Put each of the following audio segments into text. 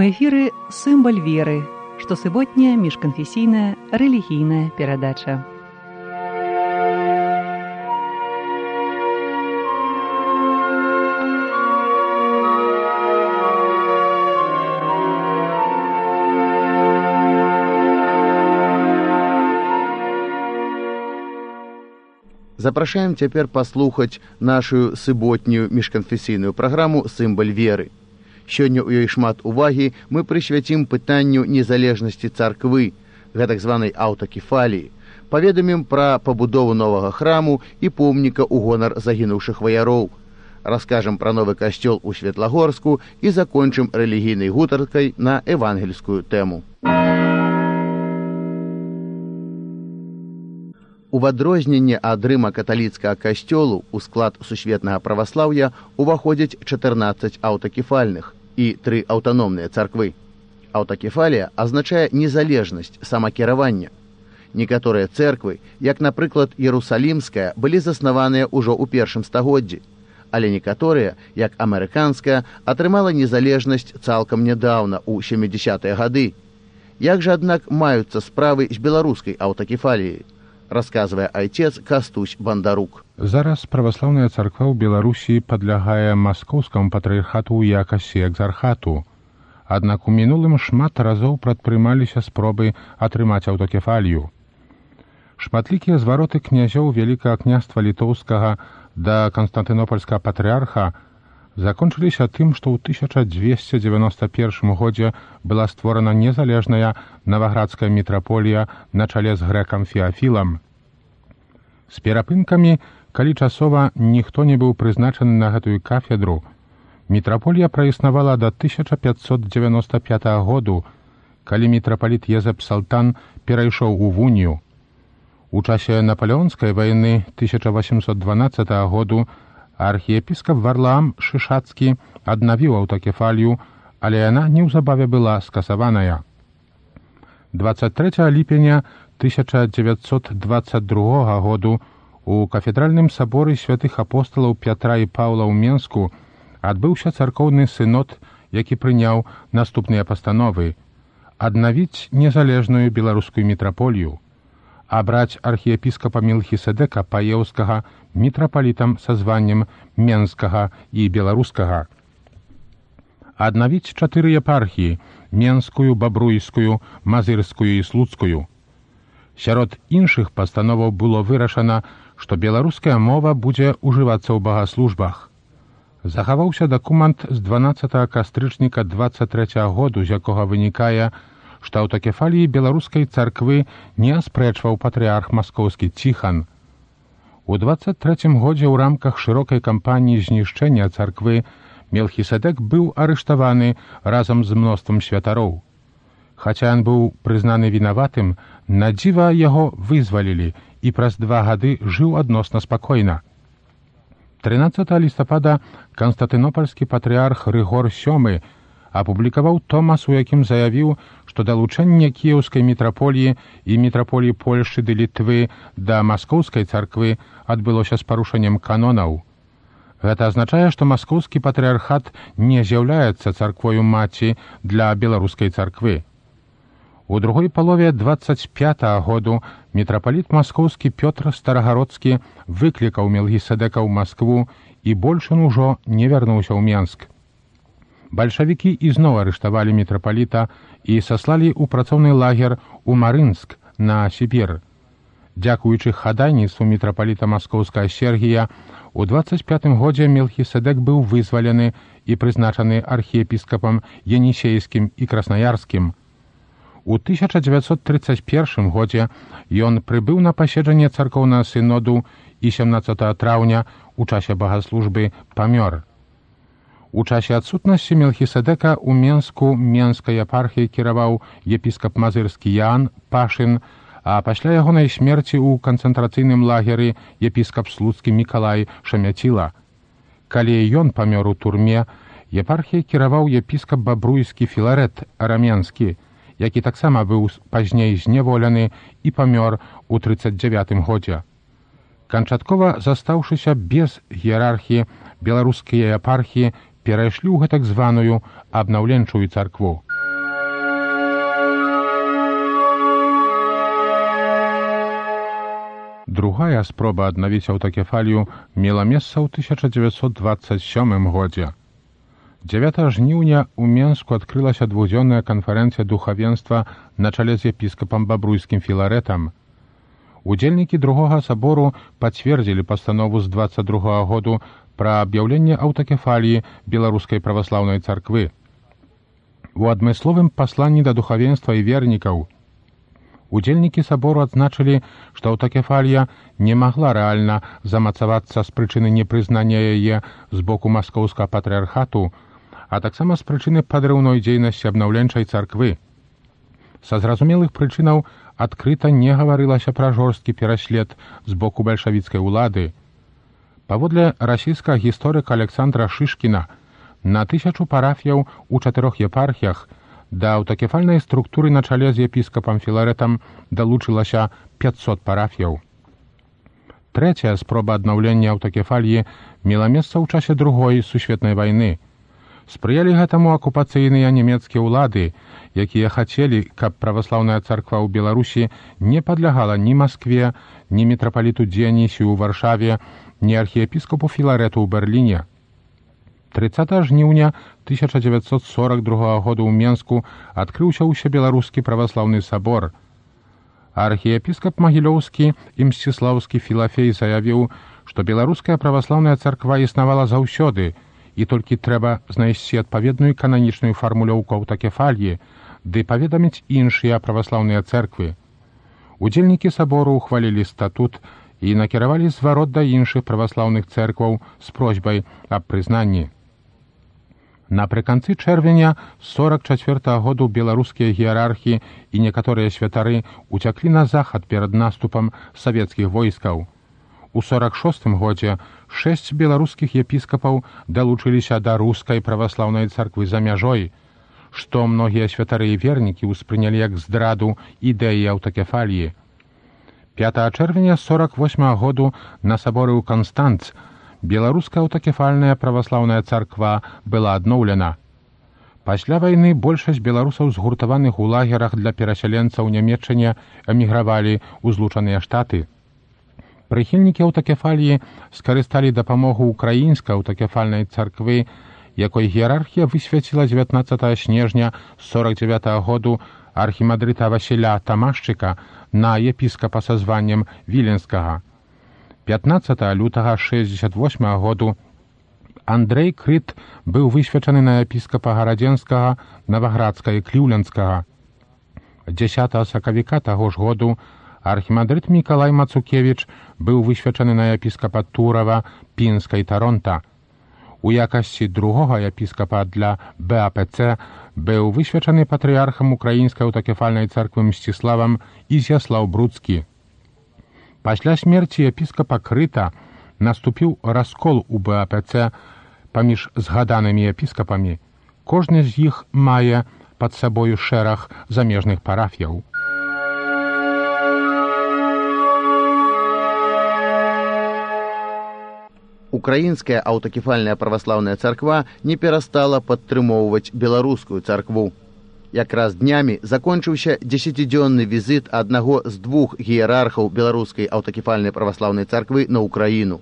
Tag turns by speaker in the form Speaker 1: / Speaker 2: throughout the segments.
Speaker 1: эфіры сімбаль веры, штосуботняя міжканфесійная рэлігійная перадача.
Speaker 2: Запрашаем цяпер паслухаць нашу суботнюю міжканфесійную праграму «Сімбаль веры». Сёння ў ёй шмат увагі мы прысвяцім пытанню незалежнасці царквы, гэтак званай аўтакефаліі, паведамім пра пабудову новага храму і помніка ў гонар загінуўшых ваяроў, раскажам пра новы касцёл у Светлагорску і закончым рэлігійнай гутаркай на евангельскую тэму. У адрозненне ад рыма-каталіцкага касцёлу ў склад сусветнага праваслаўя уваходзяць 14 аўтакефальных і 3 аўтаномныя царквы. Аўтакефалія азначае незалежнасць, самакіравання. Некаторыя цэрквы, як, напрыклад, Ерусалімская, былі заснаваныя ўжо ў першым стагоддзі, але некаторыя, як амерыканская, атрымала незалежнасць цалкам нядаўна, у 70-е гады. Як жа, аднак, маюцца справы з беларускай аўтакефаліяй? Расказвае айцец Кастусь Бандарук.
Speaker 3: Зараз праваслаўная царква ў Беларусі падлягае маскоўскаму патрыархату ў якасці экзархату. Аднак у мінулым шмат разоў прадпрымаліся спробы атрымаць аўтакефалію. Шматлікія звароты князёў Вялікага княства літоўскага да канстантынопольскага патрыарха закончыліся тым, што ў 1291 годзе была створана незалежная наваградская мітраполія на чале з грэкам Феафілам. З перапынкамі, калі часова ніхто не быў прызначаны на гэтую кафедру, мітраполія праіснавала да 1595 году, калі мітрапаліт Езэп Салтан перайшоў у вунію. У часе Напалеонскай вайны 1812 году архіепіскап Варлаам Шышацкі аднавіў аўтакефалію, але яна неўзабаве была скасаваная. 23 ліпеня 1922 году у кафедральным саборы святых апосталаў Пятра і Паўла ў Менску адбыўся царкоўны сынод, які прыняў наступныя пастановы: аднавіць незалежную беларускую мітраполію, абраць архіепіскапа Мелхіседека Паеўскага мітрапалітам са званнем Менскага і Беларускага, аднавіць 4 епархіі – Менскую, Бабруйскую, Мазырскую і Слуцкую. Сярод іншых пастановаў было вырашана, што беларуская мова будзе ўжывацца ў багаслужбах. Захаваўся дакумент з 12 кастрычніка 23 году, з якога вынікае, што аўтакефаліі беларускай царквы не аспрэчваў патрыарх маскоўскі Ціхан. У 23 годзе ў рамках шырокай кампаніі знішчэння царквы Мелхіседек быў арыштаваны разам з мноствам святароў. Хаця ён быў прызнаны вінаватым, на дзіва яго вызвалілі і праз 2 гады жыў адносна спакойна. 13 лістапада канстантынопольскі патрыарх Рыгор VII апублікаваў томас, у якім заявіў, што далучэнне кіеўскай мітраполіі і мітраполіі Польшчы ды Літвы да маскоўскай царквы адбылося з парушэннем канонаў. Гэта азначае, што маскоўскі патрыархат не з'яўляецца царквою маці для беларускай царквы. У другой палове 25 году мітрапаліт маскоўскі Пётр Старагародскі выклікаў Мелхіседека ў Маскву, і больш ён ужо не вярнуўся ў Менск. Бальшавікі ізноў арыштавалі мітрапаліта і саслалі ў працоўны лагер у Марынск на Сібір. Дзякуючы хадайніцтву мітрапаліта маскоўскага Сергія, у 25 годзе Мелхіседек быў вызвалены і прызначаны архіепіскапам Енісейскім і Краснаярскім. У 1931 годзе ён прыбыў на паседжанне царкоўнага сыноду і 17 траўня у часе багаслужбы памёр. У часе адсутнасці Мелхіседека ў Менску Менскай епархіяй кіраваў епіскап Мазырскі Яан Пашын, а пасля ягонай смерці ў канцэнтрацыйным лагеры епіскап Слуцкі Мікалай Шамяціла. Калі ён памёр у турме, епархіяй кіраваў епіскап Бабруйскі Філарэт Раменскі, які таксама быў пазней зняволены і памёр у 39 годзе. Канчаткова застаўшыся без іерархіі, беларускія епархіі перайшлі ў гэтак званую абнаўленчую царкву. Другая спроба аднавіць аўтакефалію мела месца ў 1927 годзе. 9 жніўня ў Менску адкрылася двухдзённая канферэнцыя духавенства на чале з епіскапам Бабруйскім Філарэтам. Удзельнікі другога сабору пацвердзілі пастанову з 22 году пра аб'яўленне аўтакефаліі Беларускай праваслаўнай царквы. У адмысловым пасланні да духавенства і вернікаў удзельнікі сабору адзначылі, што аўтакефалія не магла рэальна замацавацца з прычыны непрызнання яе з боку маскоўскага патрыархату, а таксама з прычыны падрыўной дзейнасці абнаўленчай царквы. Са зразумелых прычынаў адкрыта не гаварылася пра жорсткі пераслед з боку бальшавіцкай улады. Паводле расійскага гісторыка Александра Шышкіна, на 1000 парафіяў у 4 епархіях да аўтакефальнай структуры на чале з епіскапам Філарэтам далучылася 500 парафіяў. Трэцяя спроба аднаўлення аўтакефаліі мела месца ў часе Другой сусветнай вайны. Спрыялі гэтаму акупацыйныя нямецкія ўлады, якія хацелі, каб праваслаўная царква ў Беларусі не падлягала ні Маскве, ні мітрапаліту Дыянісію ў Варшаве, ні архіепіскапу Філарэту ў Берліне. 30 жніўня 1942 году ў Менску адкрыўся ўсебеларускі праваслаўны сабор. Архіепіскап Магілёўскі і Мсціслаўскі Філафей заявіў, што беларуская праваслаўная царква існавала заўсёды, і толькі трэба знайсці адпаведную кананічную фармулёўку аўтакефаліі, ды паведаміць іншыя праваслаўныя цэрквы. Удзельнікі сабору ўхвалілі статут і накіравалі зварот да іншых праваслаўных цэркваў з просьбай аб прызнанні. Напрыканцы чэрвеня 44 году беларускія іерархі і некаторыя святары уцяклі на захад перад наступам савецкіх войскаў. У 46 годзе 6 беларускіх епіскапаў далучыліся да рускай праваслаўнай царквы за мяжой, што многія святары і вернікі ўспрынялі як здраду ідэі аўтакефаліі. 5 чэрвеня 48 году на саборы ў Канстанц беларуская аўтакефальная праваслаўная царква была адноўлена. Пасля вайны большасць беларусаў згуртаваных у лагерах для перасяленцаў у Нямецчыне эмігравалі ў Злучаныя Штаты. Прыхільнікі аўтакефаліі скарысталі дапамогу ўкраінскай аўтакефальнай царквы, якой іерархія высвяціла 19 снежня 49 году архімандрыта Васіля Тамашчыка на епіскапа са званнем Віленскага. 15 лютага 68 году Андрэй Крыт быў высвячаны на епіскапа Гарадзенскага, Наваградска і Кліўлендскага. 10 сакавіка таго ж году архімандрыт Мікалай Мацукевіч быў высвячаны на епіскапа Турава, Пінска і Таронта. У якасці другога епіскапа для БАПЦ быў высвячаны патрыархам украінскай аўтакефальнай царквы Мсціславам Ізяслаў Бруцкі. Пасля смерці епіскапа Крыта наступіў раскол у БАПЦ паміж згаданымі епіскапамі. Кожны з іх мае пад сабою шэраг замежных парафіяў.
Speaker 2: Украінская аўтакефальная праваслаўная царква не перастала падтрымоўваць беларускую царкву. Якраз днямі закончыўся 10-дзённы візіт аднаго з 2 іерархаў беларускай аўтакефальнай праваслаўнай царквы на Украіну.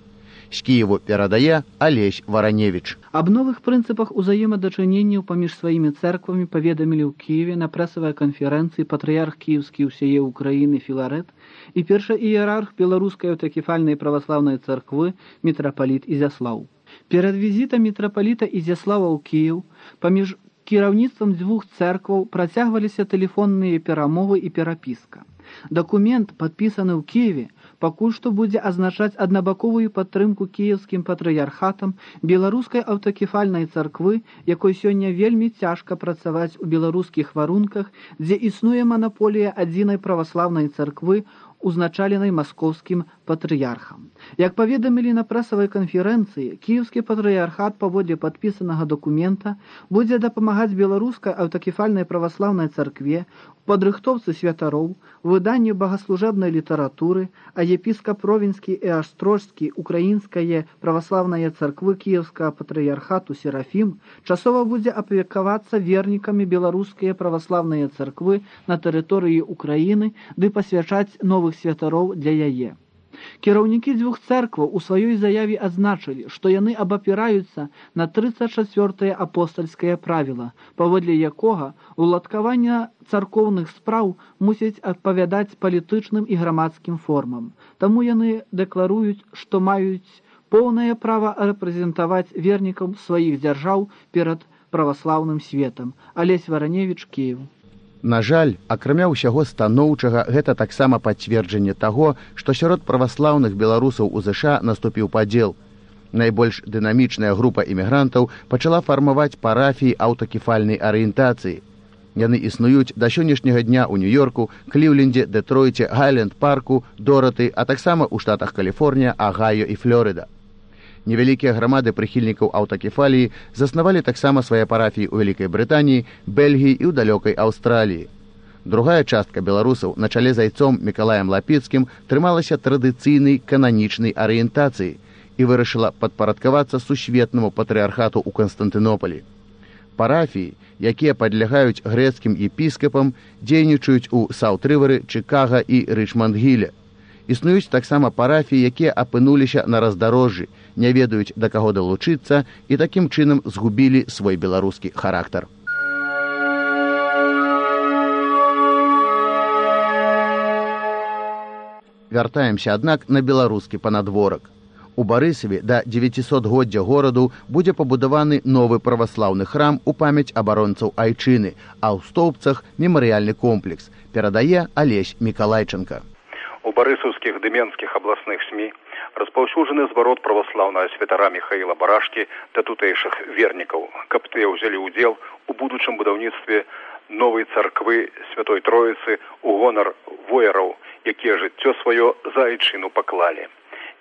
Speaker 2: З Кіеву перадае Алесь Вараневіч.
Speaker 4: Аб новых прынцыпах узаемадачыненняў паміж сваімі цэрквамі паведамілі ў Кіеве на прэсавай канферэнцыі патрыярх кіеўскі ўсяе Украіны Філарэт і першы іерарх беларускай аўтакефальнай праваслаўнай царквы мітрапаліт Ізяслаў. Перад візітам мітрапаліта Ізяслава ў Кіеў паміж кіраўніцтвам 2 цэркваў працягваліся тэлефонныя перамовы і перапіска. Дакумент, падпісаны ў Кіеве, пакуль што будзе азначаць аднабаковую падтрымку кіеўскім патрыярхатам беларускай аўтакефальнай царквы, якой сёння вельмі цяжка працаваць у беларускіх варунках, дзе існуе манаполія адзінай праваслаўнай царквы, узначаленай маскоўскім патрыярхам. Як паведамілі на прэсавай канферэнцыі, кіеўскі патрыярхат паводле падпісанага дакумента будзе дапамагаць беларускай аўтакефальнай праваслаўнай царкве у падрыхтоўцы святароў, выданні богаслужэбнай літаратуры, а епіскап Ровенскі і Астрожскі украінскае праваслаўнае царквы кіеўскага патрыярхату Серафім часова будзе апекавацца вернікамі беларускія праваслаўныя царквы на тэрыторыі Украіны ды пасвячаць новых святароў для яе. Кіраўнікі дзвюх цэркваў у сваёй заяве адзначылі, што яны абапіраюцца на 34-е апостальскае правіла, паводле якога уладкаванне царкоўных спраў мусіць адпавядаць палітычным і грамадскім формам. Таму яны дэкларуюць, што маюць поўнае права рэпрэзентаваць вернікаў сваіх дзяржаў перад праваслаўным светам. Алесь Вараневіч, Кіеў.
Speaker 2: На жаль, акрамя ўсяго станоўчага, гэта таксама пацверджанне таго, што сярод праваслаўных беларусаў у ЗША наступіў падзел. Найбольш дынамічная група імігрантаў пачала фармаваць парафіі аўтакефальнай арыентацыі. Яны існуюць да сённяшняга дня ў Нью-Йорку, Кліўлендзе, Дэтройце, Гайленд-парку, Дораты, а таксама ў штатах Каліфорнія, Агайо і Флорыда. Невялікія грамады прыхільнікаў аўтакефаліі заснавалі таксама свае парафіі ў Вялікай Брытаніі, Бельгіі і ў далёкай Аўстраліі. Другая частка беларусаў на чале з айцом Мікалаем Лапіцкім трымалася традыцыйнай кананічнай арыентацыі і вырашыла падпарадкавацца сусветнаму патрыархату ў Канстантынополі. Парафіі, якія падлягаюць грэцкім епіскапам, дзейнічаюць у Саут-Рывары, Чыкага і Рычманд-Гіле. Існуюць таксама парафіі, якія апынуліся на раздарожжы, не ведаюць, да каго далучыцца і такім чынам згубілі свой беларускі характар. Вяртаемся, аднак, на беларускі панадворак. У Барысаве да 900годдзя гораду будзе пабудаваны новы праваслаўны храм у памяць абаронцаў айчыны, а ў Стоўбцах мемарыяльны комплекс, перадае Алесь Мікалайченка.
Speaker 5: У барысаўскіх ды менскіх абласных СМІ распаўсюджаны зварот праваслаўнага святара Міхаіла Барашкі да тутэйшых вернікаў, каб тыя ўзялі ўдзел у будучым будаўніцтве новай царквы Святой Троіцы ў гонар вояраў, якія жыццё сваё за айчыну паклалі.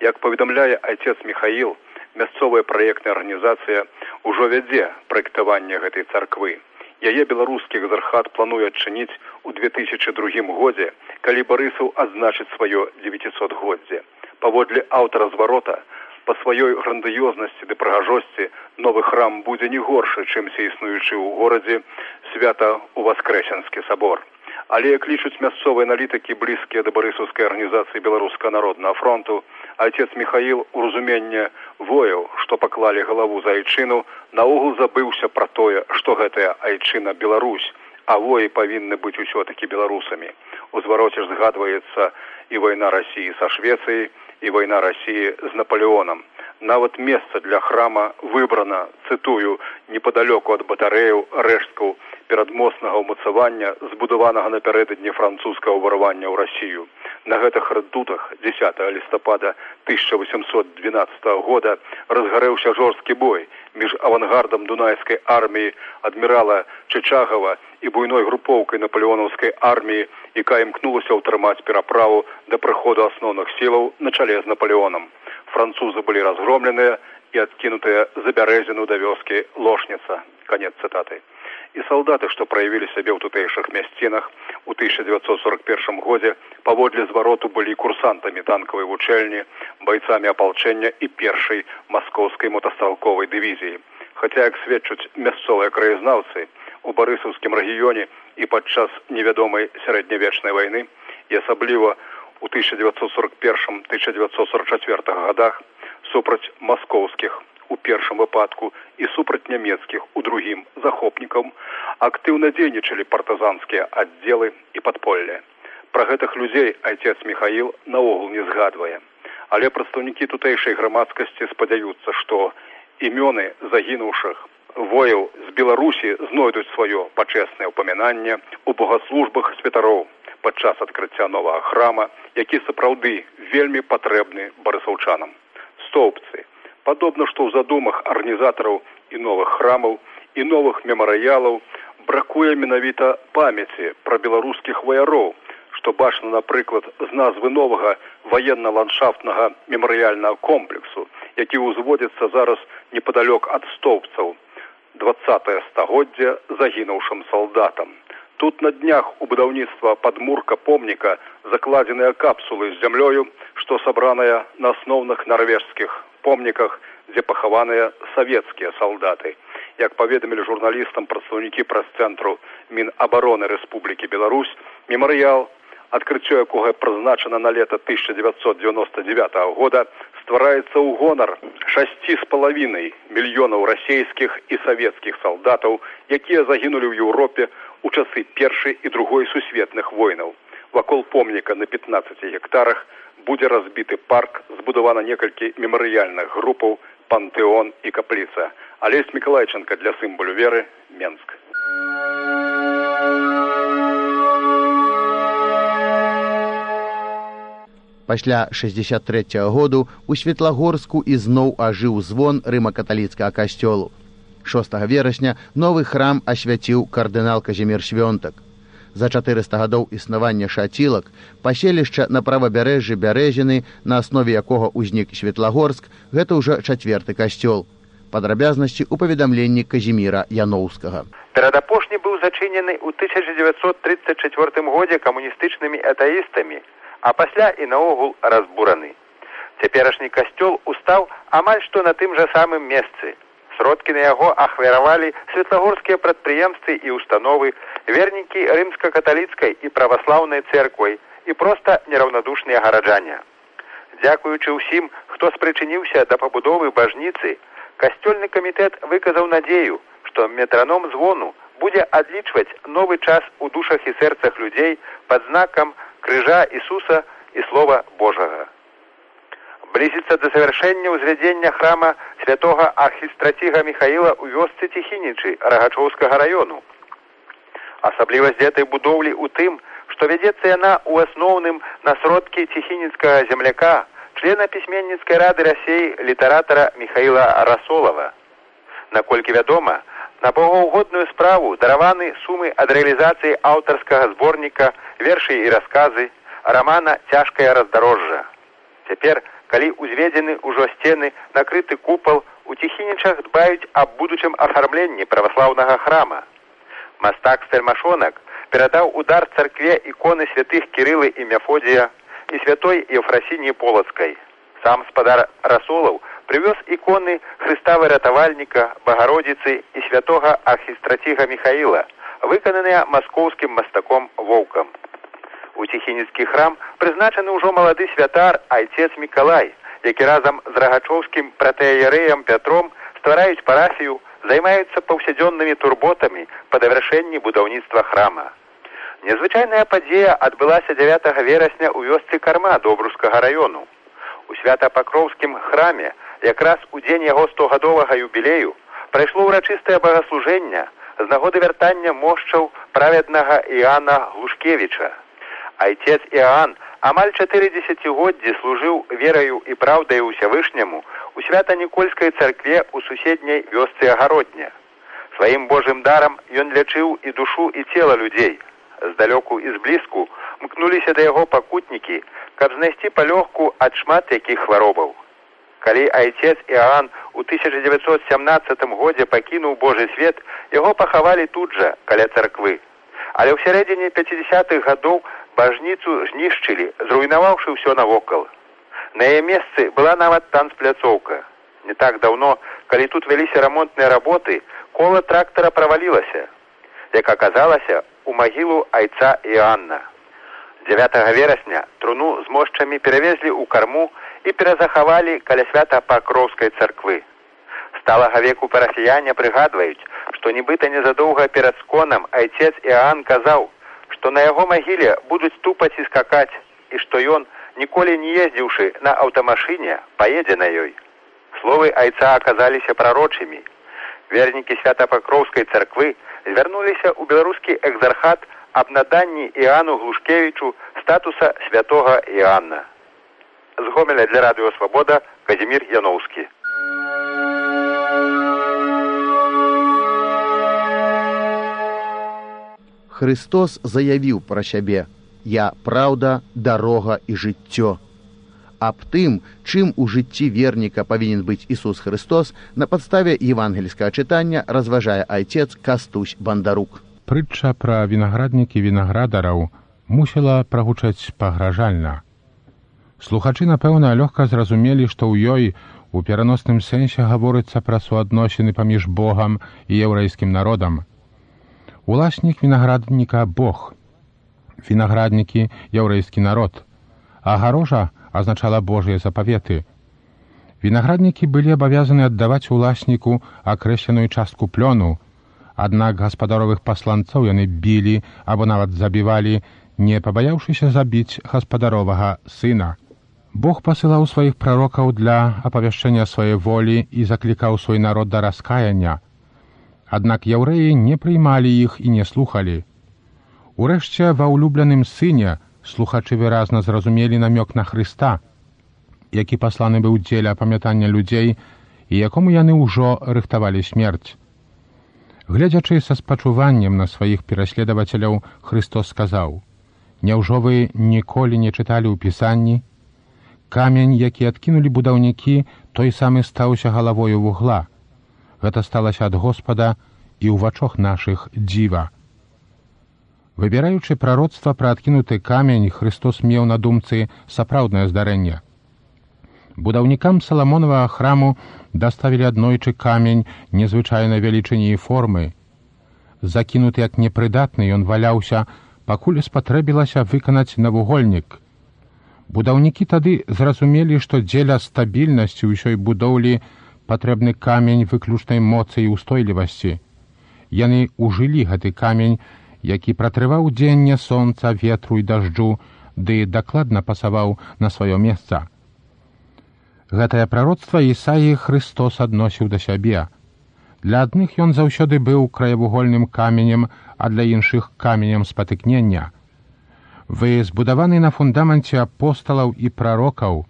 Speaker 5: Як паведамляе айцец Міхаіл, мясцовая праектная арганізацыя ўжо вядзе праектаванне гэтай царквы. Яе беларускі экзархат плануе адчыніць у 2002 годзе, калі Барысаў адзначыць сваё 900годдзе. Паводле аўтара зварота, па сваёй грандыёзнасці ды прыгажосці новы храм будзе не горшы, чымся існуючы ў горадзе Свята-Уваскрэсенскі сабор. Але, як лічуць мясцовыя аналітыкі, блізкія да барысаўскай арганізацыі Беларускага народнага фронту, айцец Міхаіл у разуменне вояў, што паклалі галаву за айчыну, наогул забыўся пра тое, што гэтая айчына Беларусь, а воі павінны быць усё-такі беларусамі. У звароце ж згадваецца і вайна Расіі са Швецыяй, і вайна Расіі з Напалеонам. Нават месца для храма выбрана, цытую, непадалёку ад батарэяў, рэшткаў перадмоснага ўмацавання, збудаванага напярэдадні французскага ўварвання ў Расію. На гэтых рэдутах 10 лістапада 1812 года разгарэўся жорсткі бой між авангардам дунайскай арміі адмірала Чычагава і буйной групоўкай напалеонаўскай арміі, якая імкнулася ўтрымаць пераправу да прыходу асноўных сілаў на чале з Напалеонам. Французы былі разгромленыя і адкінутыя за бярэзіну да вёскі Лошніца. Канец цытаты. І салдаты, што праявілі сябе ў тутэйшых мясцінах у 1941 годзе, паводле звароту былі курсантамі танкавай вучэльні, байцамі апалчэння і першай маскоўскай мотастралковай дывізіі. Хаця, як сведчаць мясцовыя краязнаўцы, у барысаўскім рэгіёне і падчас невядомай сярэднявечнай вайны, і асабліва у 1941-1944 годах супраць маскоўскіх у першым выпадку і супраць нямецкіх у другім захопнікам актыўна дзейнічалі партызанскія аддзелы і падполле. Пра гэтых людзей айцец Міхаіл наогул не згадвае. Але прадстаўнікі тутэйшай грамадскасці спадзяюцца, што імёны загінуўшых вояў з Беларусі знойдуць сваё пачэснае ўпамінанне ў богаслужбах святароў падчас адкрыцця новага храма, які сапраўды вельмі патрэбны барысаўчанам. Стоўбцы. Падобна, што ў задумах арганізатараў і новых храмаў, і новых мемарыялаў бракуе менавіта памяці пра беларускіх ваяроў, што бачна, напрыклад, з назвы новага ваенна-ландшафтнага мемарыяльнага комплексу, які ўзводзіцца зараз непадалёк ад Стоўбцаў, 20-е стагоддзе загінуўшым салдатам. Тут на днях у будаўніцтва падмурка помніка закладзеныя капсулы з зямлёю, што сабраная на асноўных нарвежскіх помніках, дзе пахаваныя савецкія салдаты. Як паведамілі журналістам прадстаўнікі прэс-цэнтру Мінабароны Рэспублікі Беларусь, мемарыял адкрыццё якога прызначана на лета 1999 года, ствараецца ў гонар 6,5 мільёнаў расійскіх і савецкіх салдатаў, якія загінулі ў Еўропе у часы Першай і Другой сусветных войнаў. Вакол помніка на 15 гектарах будзе разбіты парк, збудавана некалькі мемарыяльных групаў, пантэон і капліца. Алесь Миколайченко для сімволу веры, Менск.
Speaker 2: Пасля 63-го году у Светлагорску ізноў ажыў звон рыма-каталіцкага касцёлу. 6 верасня новы храм асвяціў кардынал Казімір Свёнтак. За 400 гадоў існавання шацілак паселішча на правабярэжжы Бярэзіны, на аснове якога ўзнік Светлагорск, гэта ўжо 4-ты касцёл. Падрабязнасці ў паведамленні Казіміра Яноўскага.
Speaker 6: Перадапошні быў зачынены ў 1934 годзе камуністычнымі атэістамі, а пасля і наогул разбураны. Цяперашні касцёл устаў амаль што на тым жа самым месцы. Сродкі на яго ахвяравалі светлагорскія прадпрыемствы і установы, вернікі рымска-каталіцкай і праваслаўнай цэрквай і проста нераўнадушныя гараджане. Дзякуючы ўсім, хто спрычыніўся да пабудовы бажніцы, касцёльны камітэт выказаў надзею, што метраном звону будзе адлічваць новы час у душах і сэрцах людзей пад знакам крыжа Ісуса і Слова Божага. Блізіцца да завяршэння ўзвядзення храма святога архістраціга Міхаіла ў вёсцы Ціхінічы Рагачоўскага раёну. Асаблівасць гэтай будоўлі ў тым, што вядзецца яна ў асноўным на сродкі ціхініцкага земляка, члена пісьменніцкай рады Расіі літаратара Міхаіла Расолава. Наколькі вядома, на богаўгодную справу дараваны сумы ад рэалізацыі аўтарскага зборніка вершы і расказы рамана «Цяжкае раздарожжа». Цяпер, калі ўзведзены ўжо сцены, накрыты купал, у Ціхінічах дбаюць аб будучым афармленні праваслаўнага храма. Мастак-стэльмашонак перадаў удар царкве іконы святых Кірылы і Мефодія і святой Євфрасініі Полацкай. Сам спадар Расолаў прывёз іконы Хрыста Выратавальніка, Багародзіцы і святога архістраціга Міхаіла, выкананыя маскоўскім мастаком Воўкам. У Ціхініцкі храм прызначаны ўжо малады святар айцец Мікалай, які разам з рагачоўскім пратэаерэем Пятром ствараюць парафію, займаюцца паўсядзённымі турботамі па давяршэнні будаўніцтва храма. Незвычайная падзея адбылася 9 верасня ў вёсцы Карма Добрускага раёну. У Свята-Пакроўскім храме, якраз у дзень яго 100-гадовага юбілею, прайшло ўрачыстае багаслужэнне з нагоды вяртання мошчаў праведнага Іана Глушкевіча. Айцец Іан амаль 4 дзесяцігоддзі служыў вераю і праўдай Усявышняму у Свята-Нікольскай царкве ў суседняй вёсцы Агародня. Сваім Божым дарам ён лячыў і душу, і цела людзей. Здалёку і зблізку мкнуліся да яго пакутнікі, каб знайсці палёгку ад шмат якіх хваробаў. Калі айцец Іан у 1917 годзе пакінуў Божы свет, яго пахавалі тут жа, каля царквы. Але ў сярэдзіне 50-х гадоў бажніцу знішчылі, зруйнаваўшы ўсё навокал. На яе месцы была нават танцпляцоўка. Не так даўно, калі тут вяліся рамонтныя работы, кола трактара правалілася. Як аказалася, у магілу айца Іанна. 9 верасня труну з мошчамі перавезлі ў Карму і перазахавалі каля Свята-Пакроўскай царквы. Сталага веку парафіяне прыгадваюць, што нібыта незадоўга перад сконам айцец Іан казаў, што на яго магіле будуць тупаць і скакаць, і што ён, ніколі не ездзіўшы на аўтамашыне, паедзе на ёй. Словы айца аказаліся прарочымі. Вернікі Свята-Пакроўскай царквы звярнуліся ў беларускі экзархат аб наданні Іану Глушкевічу статуса святога Іанна. З Гомеля для Радыё Свабода Казімір Яноўскі.
Speaker 2: Христос заявіў пра сябе: «Я праўда, дарога і жыццё». Аб тым, чым у жыцці верніка павінен быць Ісус Христос, на падставе евангельскага чытання разважае айцец Кастусь Бандарук.
Speaker 3: Прытча пра вінаграднікі вінаградараў мусіла прагучаць пагражальна. Слухачы, напэўна, лёгка зразумелі, што ў ёй у пераносным сэнсе гаворыцца пра суадносіны паміж Богам і яўрэйскім народам. Уласнік вінаградніка – Бог. вінаграднікі яўрэйскі народ. Агарожа азначала Божыя запаветы. Вінаграднікі былі абавязаны аддаваць уласніку акрэсленую частку плёну, аднак гаспадаровых пасланцоў яны білі або нават забівалі, не пабаяўшыся забіць гаспадаровага сына. Бог пасылаў сваіх прарокаў для апавяшчэння сваёй волі і заклікаў свой народ да раскаяння. Аднак яўрэі не прыймалі іх і не слухалі. Урэшце, ва ўлюбленым сыне слухачы выразна зразумелі намёк на Хрыста, які пасланы быў дзеля памятання людзей і якому яны ўжо рыхтавалі смерць. Гледзячы са спачуваннем на сваіх пераследавацеляў, Христос сказаў: «Няўжо вы ніколі не чыталі ў Пісанні? Камень, які адкінулі будаўнікі, той самы стаўся галавою вугла. Гэта сталася ад Господа і ў вачах нашых дзіва». Выбіраючы прароцтва пра адкінуты камень, Христос меў на думцы сапраўднае здарэнне. Будаўнікам Саламонавага храму даставілі аднойчы камень незвычайнай велічыні і формы. Закінуты як непрыдатны, ён валяўся, пакуль спатрэбілася выканаць навугольнік. Будаўнікі тады зразумелі, што дзеля стабільнасці ўсёй будоўлі патрэбны камень выключнай моцы і устойлівасці. Яны ўжылі гэты камень, які пратрываў дзенне сонца, ветру і дажджу, ды дакладна пасаваў на сваё месца. Гэтае прароцтва Ісаі Христос адносіў да сябе. Для адных ён заўсёды быў краявугольным каменем, а для іншых каменем спатыкнення. Вы збудаваны на фундаменце апосталаў і прарокаў,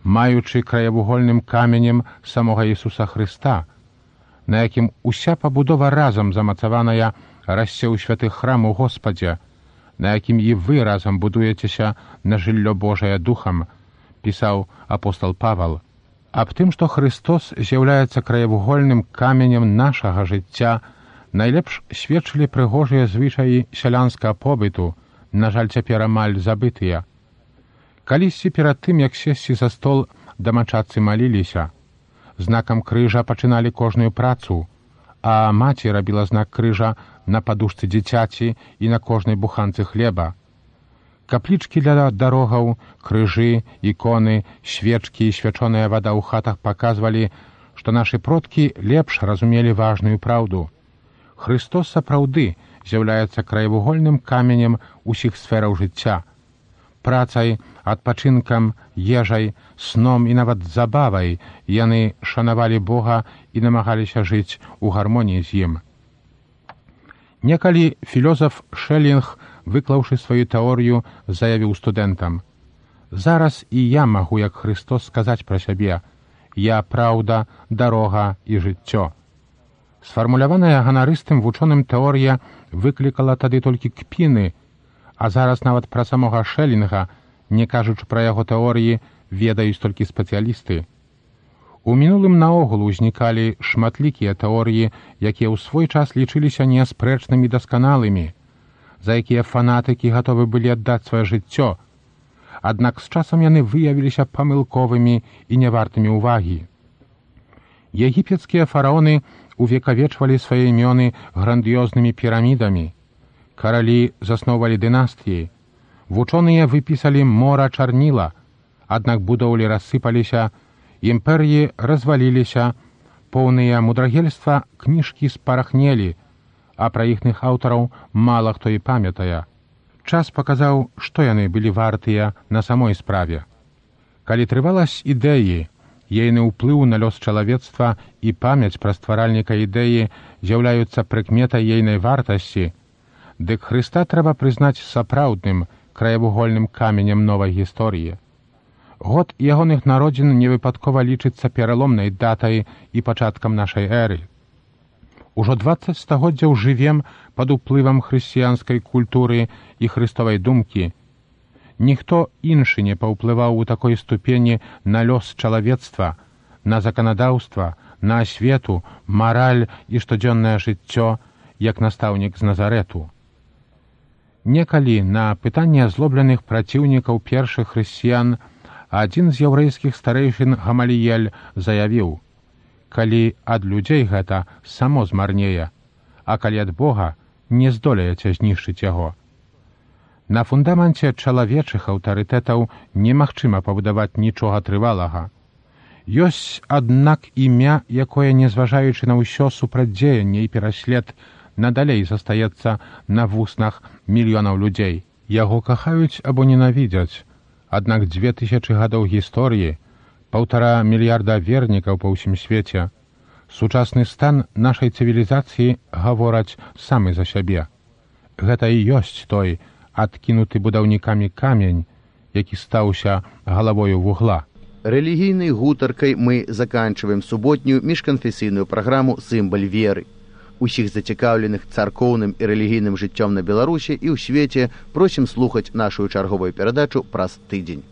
Speaker 3: маючы краявугольным каменем самога Ісуса Хрыста, на якім уся пабудова разам замацаваная расце ў святых храм у Господзе, на якім і вы разам будуецеся на жыллё Божае духам, пісаў апостал Павал. Аб тым, што Христос з'яўляецца краявугольным каменем нашага жыцця, найлепш сведчылі прыгожыя звычаі сялянскага побыту, на жаль, цяпер амаль забытыя. Калісьці перад тым, як сесці за стол, дамачадцы маліліся. Знакам крыжа пачыналі кожную працу, а маці рабіла знак крыжа на падушцы дзіцяці і на кожнай буханцы хлеба. Каплічкі для дарогаў, крыжы, іконы, свечкі і свячоная вада ў хатах паказвалі, што нашы продкі лепш разумелі важную праўду. Христос сапраўды з'яўляецца краявугольным каменем усіх сфераў жыцця. Працай, адпачынкам, ежай, сном і нават забавай яны шанавалі Бога і намагаліся жыць у гармоніі з ім. Некалі філёзаф Шэлінг, выклаўшы сваю тэорыю, заявіў студэнтам: «Зараз і я магу, як Христос, сказаць пра сябе: я праўда, дарога і жыццё». Сфармуляваная ганарыстым вучоным тэорія выклікала тады толькі кпіны, а зараз нават пра самога Шэлінга, не кажучы пра яго тэорыі, ведаюць толькі спецыялісты. У мінулым наогул узнікалі шматлікія тэорыі, якія ў свой час лічыліся неаспрэчнымі дасканалымі, за якія фанатыкі гатовы былі аддаць сваё жыццё. Аднак з часам яны выявіліся памылковымі і нявартымі ўвагі. Егіпецкія фараоны увекавечвалі свае імёны грандыёзнымі пірамідамі. Каралі засноўвалі дынастыі. Вучоныя выпісалі мора чарніла, аднак будоўлі рассыпаліся, імперыі разваліліся, поўныя мудрагельства кніжкі спарахнелі, а пра іхных аўтараў мала хто і памятае. Час паказаў, што яны былі вартыя на самой справе. Калі трываласць ідэі, ейны ўплыў на лёс чалавецтва і памяць пра стваральніка ідэі з'яўляюцца прыкметай ейнай вартасці, дык Хрыста трэба прызнаць сапраўдным краявугольным каменем новай гісторыі. Год ягоных народзін невыпадкова лічыцца пераломнай датай і пачаткам нашай эры. Ужо 20 стагоддзяў жывем пад уплывам хрысціянскай культуры і хрыстовай думкі. Ніхто іншы не паўплываў у такой ступені на лёс чалавецтва, на заканадаўства, на асвету, мараль і штодзённае жыццё, як настаўнік з Назарэту. Некалі на пытанне азлобленых праціўнікаў першых хрысціян адзін з яўрэйскіх старэйшын Гамаліель заявіў: «Калі ад людзей гэта само змарнее, а калі ад Бога, не здолееце знішчыць яго». На фундаменце чалавечых аўтарытэтаў немагчыма пабудаваць нічога трывалага. Ёсць, аднак, імя, якое, незважаючы на ўсё супрацьдзеянне і пераслед, надалей застаецца на вуснах мільёнаў людзей. Яго кахаюць або ненавідзяць, аднак 2000 гадоў гісторыі, 1,5 мільярда вернікаў па ўсім свеце, сучасны стан нашай цывілізацыі гавораць самы за сябе. Гэта і ёсць той адкінуты будаўнікамі камень, які стаўся галавою вугла.
Speaker 2: Рэлігійнай гутаркай мы заканчиваем суботнюю міжканфесійную праграму «Сімбаль веры». Усіх зацікаўленых царкоўным і рэлігійным жыццём на Беларусі і ў свеце просім слухаць нашу чарговую перадачу праз тыдзень.